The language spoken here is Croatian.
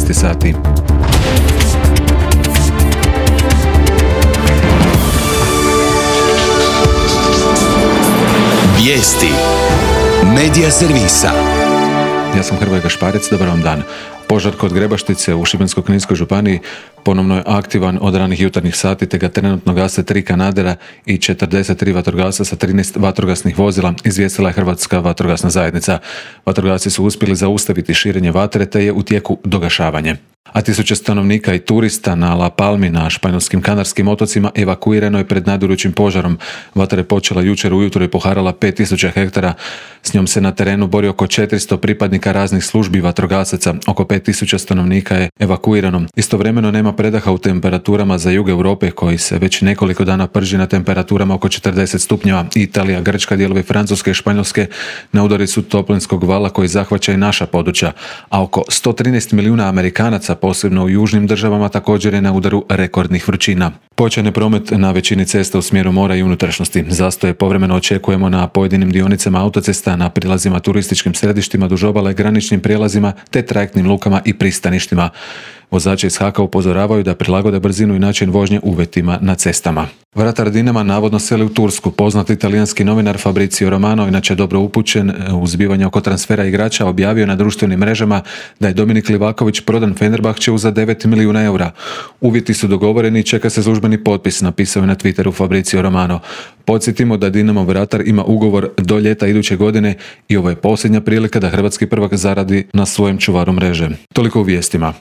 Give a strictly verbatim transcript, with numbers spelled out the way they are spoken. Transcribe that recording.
četrnaest sati. Vijesti Medija servisa. Ja sam Hrvoje Gašparec, dobar vam dan. Požar kod Grebaštice u Šibensko-kninskoj županiji ponovno je aktivan od ranih jutarnjih sati, te ga trenutno gase tri kanadera i četrdeset tri vatrogasca sa trinaest vatrogasnih vozila, izvijestila je Hrvatska vatrogasna zajednica. Vatrogasci su uspjeli zaustaviti širenje vatre, te je u tijeku dogašavanje. A tisuće stanovnika i turista na La Palmi na španjolskim Kanarskim otocima evakuirano je pred nadirućim požarom. Vatra je počela jučer ujutro i poharala pet tisuća hektara. S njom se na terenu bori oko četiristo pripadnika raznih službi vatrogasaca. Oko pet tisuća stanovnika je evakuirano. Istovremeno nema predaha u temperaturama za jug Europe, koji se već nekoliko dana prži na temperaturama oko četrdeset stupnjeva. Italija, Grčka, dijelovi Francuske i Španjolske na udari su toplinskog vala koji zahvaća i naša područja, a oko sto trinaest milijuna Amerikanaca, posebno u južnim državama, također je na udaru rekordnih vrućina. Pojačan je promet na većini cesta u smjeru mora i unutrašnjosti. Zastoje povremeno očekujemo na pojedinim dionicama autocesta, na prilazima turističkim središtima duž obale, graničnim prijelazima te trajektnim lukama i pristaništima. Vozači iz H A K-a upozoravaju da prilagode brzinu i način vožnje uvjetima na cestama. Vratar Dinama navodno seli u Tursku. Poznati italijanski novinar Fabrizio Romano, inače dobro upućen u zbivanja oko transfera igrača, objavio na društvenim mrežama da je Dominik Livaković prodan Fenerbahčeu za devet milijuna eura. Uvjeti su dogovoreni i čeka se službeni potpis, napisao je na Twitteru Fabrizio Romano. Podsjetimo da Dinamo vratar ima ugovor do ljeta iduće godine i ovo je posljednja prilika da hrvatski prvak zaradi na svojem čuvaru mreže. Toliko u vijestima.